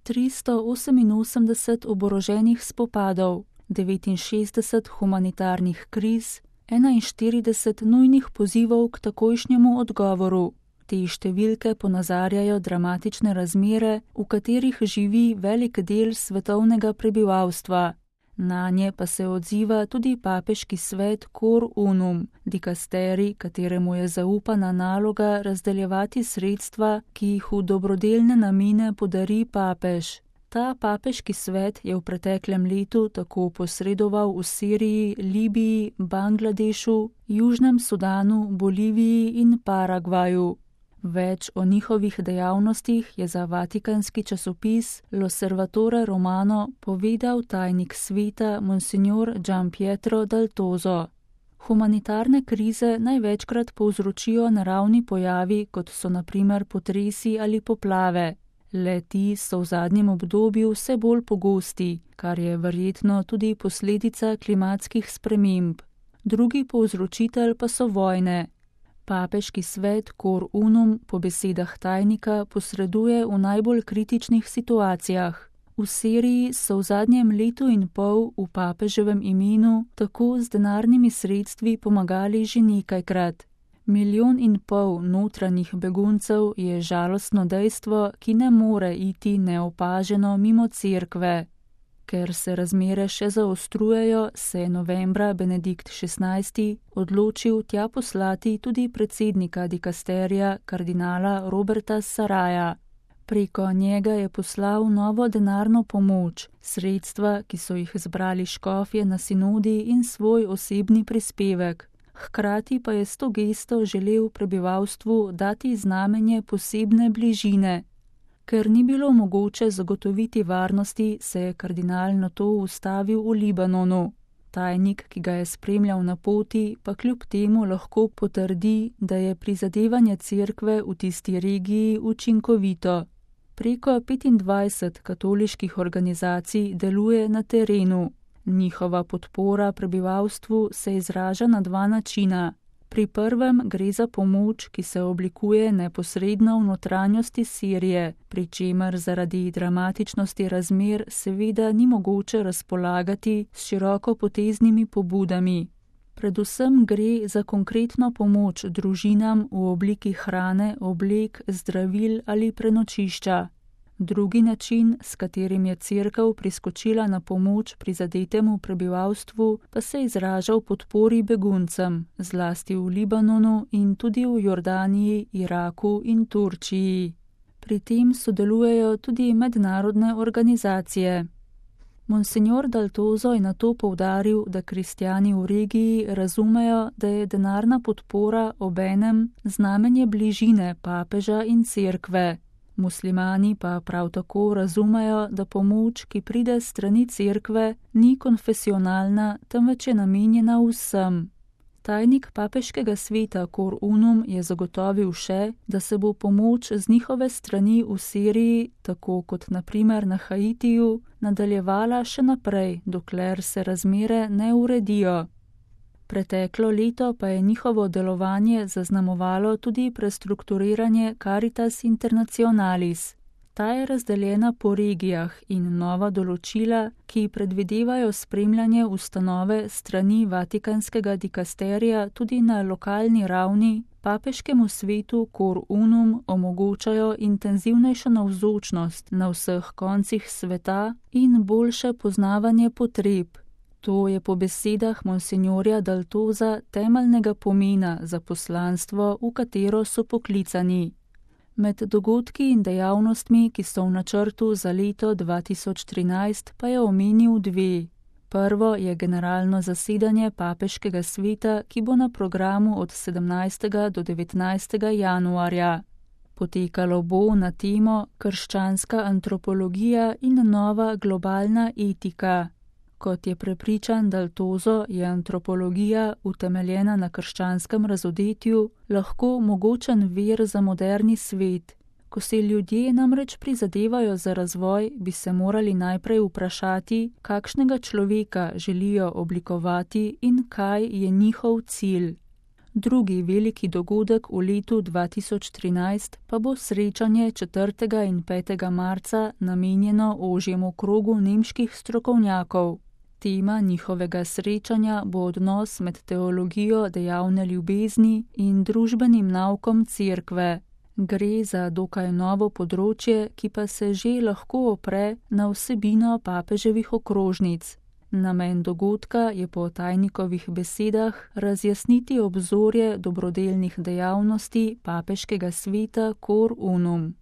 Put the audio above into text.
388 oboroženih spopadov, 69 humanitarnih kriz, 41 nujnih pozivov k takojšnjemu odgovoru. Te številke ponazarjajo dramatične razmere, v katerih živi velik del svetovnega prebivalstva. Nanje pa se odziva tudi papeški svet Cor Unum, dikasterij, kateremu je zaupana naloga razdeljevati sredstva, ki jih v dobrodelne namene podari papež. Ta papeški svet je v preteklem letu tako posredoval v Siriji, Libiji, Bangladešu, Južnem Sudanu, Boliviji in Paragvaju. Več o njihovih dejavnostih je za vatikanski časopis L'Osservatore Romano povedal tajnik sveta Monsignor Gianpietro Daltozo. Humanitarne krize največkrat povzročijo naravni pojavi, kot so na primer potresi ali poplave. Le-ti so v zadnjem obdobju vse bolj pogosti, kar je verjetno tudi posledica klimatskih sprememb. Drugi povzročitelj pa so vojne. Papeški svet Cor Unum po besedah tajnika posreduje v najbolj kritičnih situacijah. V Siriji so v zadnjem letu in pol v papeževem imenu tako z denarnimi sredstvi pomagali že nekajkrat. 1,5 milijona notranjih beguncev je žalostno dejstvo, ki ne more iti neopaženo mimo cerkve. Ker se razmere še zaostrujejo, se je novembra Benedikt XVI odločil tja poslati tudi predsednika dikasterija kardinala Roberta Saraja. Preko njega je poslal novo denarno pomoč, sredstva, ki so jih zbrali škofje na sinodi in svoj osebni prispevek. Hkrati pa je s to gesto želel prebivalstvu dati znamenje posebne bližine. Ker ni bilo mogoče zagotoviti varnosti, se je kardinal nato ustavil v Libanonu. Tajnik, ki ga je spremljal na poti, pa kljub temu lahko potrdi, da je prizadevanje cerkve v tisti regiji učinkovito. Preko 25 katoliških organizacij deluje na terenu. Njihova podpora prebivalstvu se izraža na 2 načina. Pri prvem gre za pomoč, ki se oblikuje neposredno v notranjosti Sirije, pri čemer zaradi dramatičnosti razmer seveda ni mogoče razpolagati s širokopoteznimi pobudami. Predvsem gre za konkretno pomoč družinam v obliki hrane, oblek, zdravil ali prenočišča. Drugi način, s katerim je cerkev priskočila na pomoč prizadetemu prebivalstvu, pa se izraža v podpori beguncem, zlasti v Libanonu in tudi v Jordaniji, Iraku in Turčiji. Pri tem sodelujejo tudi mednarodne organizacije. Monsignor Daltozo je nato poudaril, da kristjani v regiji razumejo, da je denarna podpora obenem znamenje bližine papeža in cerkve. Muslimani pa prav tako razumejo, da pomoč, ki pride s strani cerkve, ni konfesionalna, temveč je namenjena vsem. Tajnik papeškega sveta Cor Unum je zagotovil še, da se bo pomoč z njihove strani v Siriji, tako kot na primer na Haitiju, nadaljevala še naprej, dokler se razmere ne uredijo. Preteklo leto pa je njihovo delovanje zaznamovalo tudi prestrukturiranje Caritas Internationalis. Ta je razdeljena po regijah in nova določila, ki predvidevajo spremljanje ustanove strani vatikanskega dikasterija tudi na lokalni ravni, papeškemu svetu Cor Unum omogočajo intenzivnejšo navzočnost na vseh koncih sveta in boljše poznavanje potreb. To je po besedah monsignorja Daltoza temeljnega pomena za poslanstvo, v katero so poklicani. Med dogodki in dejavnostmi, ki so v načrtu za leto 2013, pa je omenil 2. Prvo je generalno zasedanje papeškega sveta, ki bo na programu od 17. do 19. januarja. Potekalo bo na temo krščanska antropologija in nova globalna etika. Kot je prepričan Daltozo, je antropologija, utemeljena na krščanskem razodetju, lahko mogočen vir za moderni svet. Ko se ljudje namreč prizadevajo za razvoj, bi se morali najprej vprašati, kakšnega človeka želijo oblikovati in kaj je njihov cilj. Drugi veliki dogodek v letu 2013 pa bo srečanje 4. in 5. marca namenjeno ožjemu krogu nemških strokovnjakov. Tema njihovega srečanja bo odnos med teologijo dejavne ljubezni in družbenim naukom Cerkve. Gre za dokaj novo področje, ki pa se že lahko opre na vsebino papeževih okrožnic. Namen dogodka je po tajnikovih besedah razjasniti obzorje dobrodelnih dejavnosti papeškega sveta Cor Unum.